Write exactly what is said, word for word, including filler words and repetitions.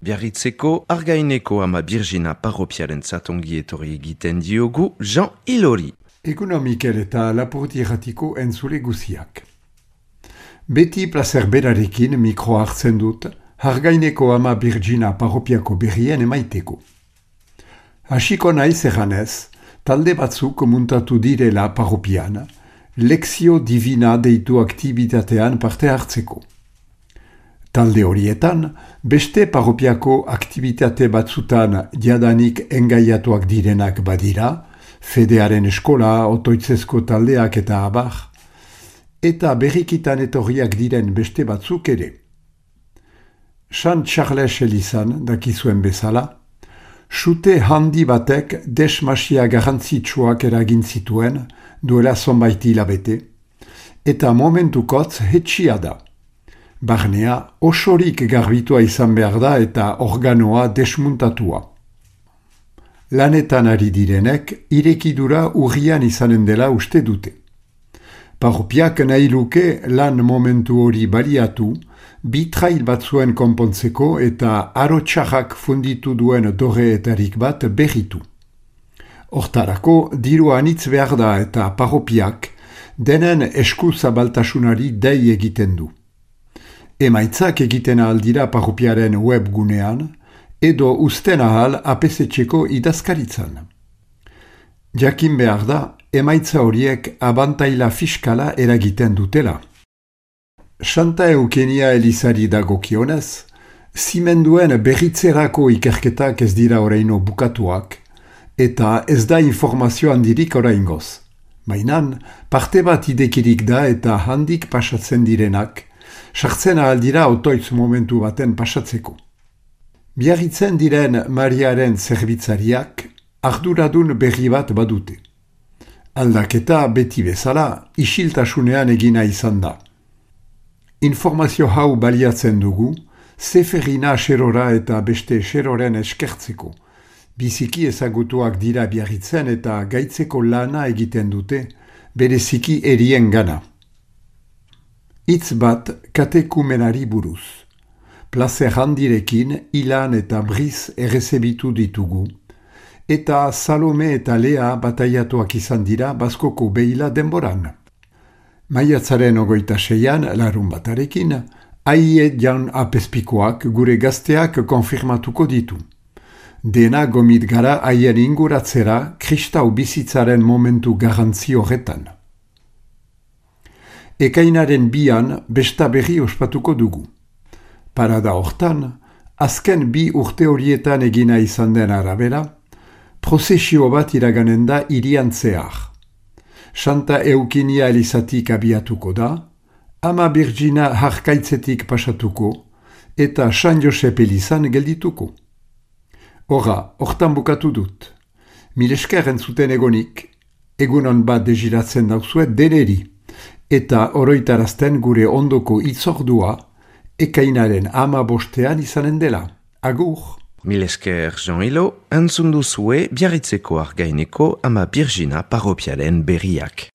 Biarritzeko Argaineko ama Birjina parropiaren zatongi etorri egiten diogu Jean Ilori. Egunon Mikel eta Lapurdi erratiko entzule guziak. Beti placer berarekin mikro hartzen dut Argaineko ama Birjina parropiako berrien emaiteko. Hasiko naiz erranez, talde batzuk muntatu direla parropian, Lexio Divina deitu aktibitatean parte hartzeko. Talde horietan, beste parropiako aktibitate batzutan jadanik engaiatuak direnak badira, Fedearen eskola, otoitzezko taldeak eta abar, eta berrikitan etorriak diren beste batzuk ere. Sant Charles Elizan, dakizuen bezala, sute handi batek desmasia garrantzitsuak eragin zituen duela zonbait hilabete, eta momentukotz hetxia da. Barnea osorik garbitua izan behar da eta organoa desmuntatua. Lanetan ari direnek irekidura urrian izanen dela uste dute. Parropiak nahi luke lan momentu hori baliatu, bi trail batzuen konpontzeko eta arotxarrak funditu duen dorreetarik bat berritu. Hortarako diru anitz behar da eta parropiak denen esku zabaltasunari dei egiten du. Emaitzak egiten aldira parropiaren webgunean, edo usten ahal apesetxeko idazkaritzan. Jakin behar da, emaitza horiek abantaila fiskala eragiten dutela. Santa Eukenia Elizari dagokionez, zimenduen berritzerako ikerketak ez dira oraino bukatuak, eta ez da informazio handirik oraingoz. Mainan, parte bat idekirik da eta handik pasatzen direnak, sartzen ahaldira otoitz momentu baten pasatzeko. Biarritzen diren Mariaren zerbitzariak arduradun berri bat badute. Aldaketa beti bezala isiltasunean egina izan da. Informazio hau baliatzen dugu, zeferina xerora eta beste xeroren eskertzeko. Biziki ezagutuak dira Biarritzen eta gaitzeko lana egiten dute, bereziki erien gana. Hitz bat katekumenari buruz. Plazer handirekin Ilan eta Briz errezebitu ditugu, eta Salome eta Lea bataiatuak izan dira Baskoko behila denboran. Maiatzaren ogoita seian, larun batarekin, aie jan apespikoak gure gazteak konfirmatuko ditu. Dena gomit gara haien inguratzera kristau bizitzaren momentu garrantzi horretan. Ekainaren bian besta berri ospatuko dugu. Parada hortan, azken bi urte horietan egina izan den arabera, prozesio bat iraganen da hirian zehar. Santa Eukenia Elizatik abiatuko da, ama Birjina harkaitzetik pasatuko, eta San Josep Elizan geldituko. Hora, hortan bukatu dut. Milesker entzuten egonik, egunon bat deziratzen dauzuet deneri, eta oroitarazten gure ondoko itzordua, ekainaren ama bostean izanen dela. Agur! Milesker Jean Ilo, entzun duzue Biarritzeko Argaineko ama Birjina parropiaren berriak.